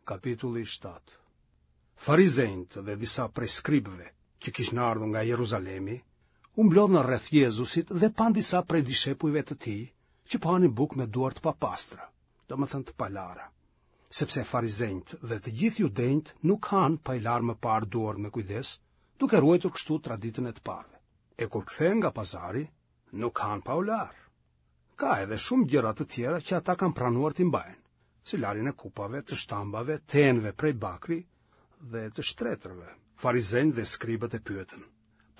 Kapitulli 7 Farizenjtë dhe disa prej skribëve që kishin ardhur nga Jeruzalemi, u mblodhën rreth Jezusit dhe panë disa prej dishepujve të tij që po hanin bukë me duar të papastra, domethënë të palara. Sepse farizenjtë dhe të gjithë judenjtë nuk hanë pa i larë më parë duart me kujdes, duke ruajtur kështu traditën e të parëve. E kur kthehen nga pazari, nuk hanë pa u larë. Ka edhe shumë gjëra të tjera që ata kanë pranuar t'i mbajnë, si larjen e kupave, të shtambave, të enëve prej bakri dhe të shtretërve. Farizenjtë dhe skribët e pyetën: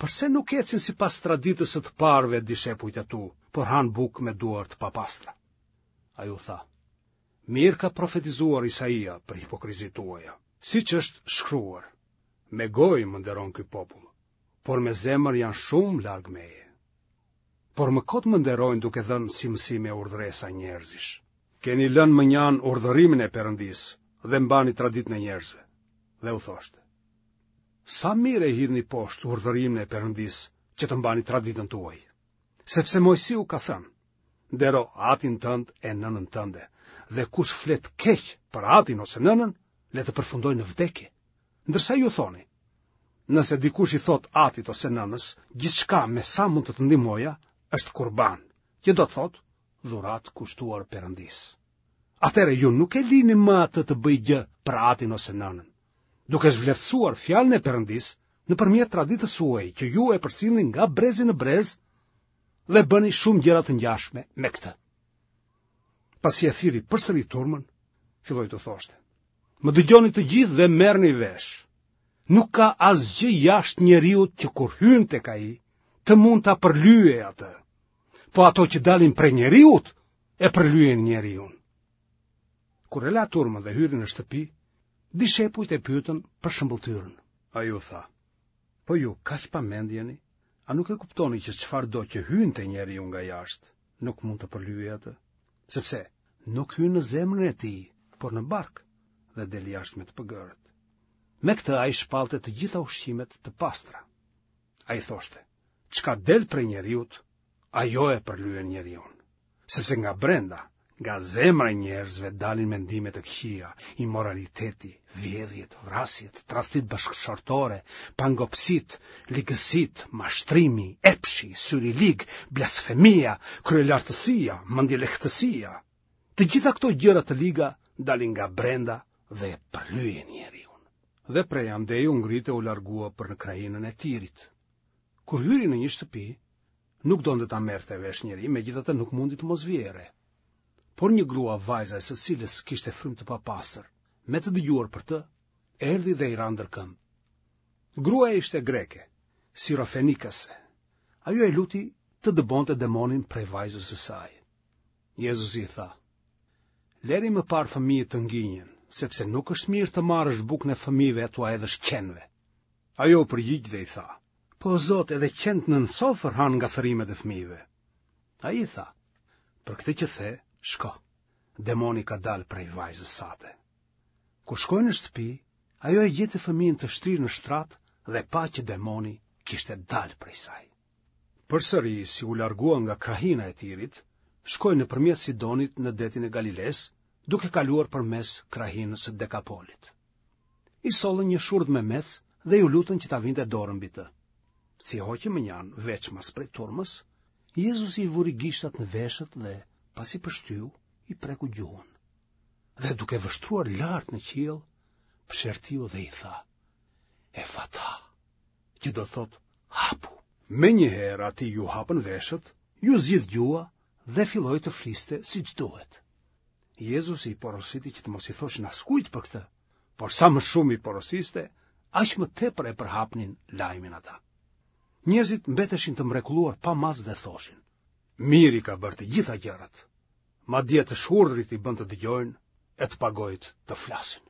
Përse nuk ecin sipas traditës së të parëve dishepujt e tu, por hanë bukë me duar të papastra? Ai u tha: Mirë ka profetizuar Isaia për hipokrizitë tuaja, siç është shkruar: Me gojë më nderon ky popull, por me zemër janë shumë larg meje. Por më kot më nderojnë duke dhënë si mësime urdhëresa njerëzish. Keni lënë mënjanë urdhërimin e Perëndisë dhe mbani traditën e njerëzve. Dhe u thoshte: Sa mirë e hidhni poshtë urdhërimin e Perëndisë që të mbani traditën tuaj. Sepse Moisiu ka thënë: Ndero atin tënd e nënën tënde, dhe kush flet keq për atin ose nënën, le të përfundojë në vdekje. Ndërsa ju thoni, nëse dikush i thotë atit ose nënës, gjithçka me sa mund të të ndihmoja është kurban, që do të thotë dhuratë kushtuar Perëndisë. Atëherë ju nuk e lini më atë të bëjë gjë për atin ose nënën, duke zhvleftësuar fjalën e Perëndisë nëpërmjet traditës suaj që ju e përcillni nga brezi në brez dhe bëni shumë gjëra të ngjashme me këtë. Pasi e thirri përsëri turmën, filloi t'u thoshte: Më dëgjoni të gjithë dhe merrni vesh. Nuk ka asgjë jashtë njeriut që kur hyn tek ai, të mund ta përlyejë atë. Po ato që dalin prej njeriut, e përlyejnë njeriun. Kur e la turmën dhe hyri në shtëpi, dishepujt e pyetën për shëmbëlltyrën. Ai u tha, po ju kaq pa mend jeni, a nuk e kuptoni që çfarëdo që hyn te njeriu nga jashtë, nuk mund ta përlyejë atë? Sepse nuk hyn në zemrën e tij, por në bark dhe del jashtë me të pëgërët. Me këtë ai shpallte të gjitha ushqimet të pastra. Ai thoshte, çka del prej njeriut, ajo e përlyen njeriun. Sepse nga brenda, nga zemra e njerëzve dalin mendime të këqija, imoraliteti, vjedhjet, vrasjet, tradhtitë bashkëshortore, pangopësitë, ligësitë, mashtrimi, epshi, syri i lig, blasfemia, kryelartësia, mendjelehtësia. Të gjitha këto gjëra të liga dalin nga brenda dhe e përlyejnë njeriun. Dhe prej andej u ngrit e u largua për në krahinën e Tirit. Kur hyri në një shtëpi, nuk donte ta merrte vesh njeri, megjithatë nuk mundi të mos vihej re. Por një grua vajza e së cilës kishte frymë të papastër, me të dëgjuar për të, erdhi dhe i ra ndër këmbë. Gruaja ishte greke, sirofenikase. Ajo e luti të dëbonte demonin prej vajzës së saj. Jezusi i tha: Lëri më parë fëmijët të nginjen, sepse nuk është mirë të marrësh bukën e fëmijëve e t'ua hedhësh qenve. Ajo u përgjigj dhe i tha: Po Zot, edhe qentë nën sofër hanë nga thërrimet e fëmijëve. Ai i tha: Për këtë që the, shko. Demoni ka dalë prej vajzës sate. Kur shkoi në shtëpi, ajo e gjeti fëmijën të shtrirë në shtrat dhe pa që demoni kishte dalë prej saj. Përsëri, si u largua nga krahina e Tirit, shkoi nëpërmjet Sidonit në detin e Galilesë, duke kaluar përmes krahinës së Dekapolit. I sollën një shurdhmemec dhe iu lutën që ta vinte dorën mbi të. Si e hoqi mënjanë veçmas prej turmës, Jezusi i vuri gishtat në veshët dhe, pasi pështyu, i preku gjuhën. Dhe duke vështruar lart në qiell, psherëtiu dhe i tha, Efata, që do të thotë hapu. Menjëherë atij iu hapën veshët, iu zgjidh gjuha dhe filloi të fliste siç duhet. Jezusi i porositi që të mos i thoshin askujt për këtë, por sa më shumë i porosiste, aq më tepër e përhapnin lajmin ata. Njerëzit mbeteshin të mrekulluar pa masë dhe thoshin: Mirë i ka bërë të gjitha gjërat. Madje të shurdhrit i bën të dëgjojnë e të pagojët të flasin.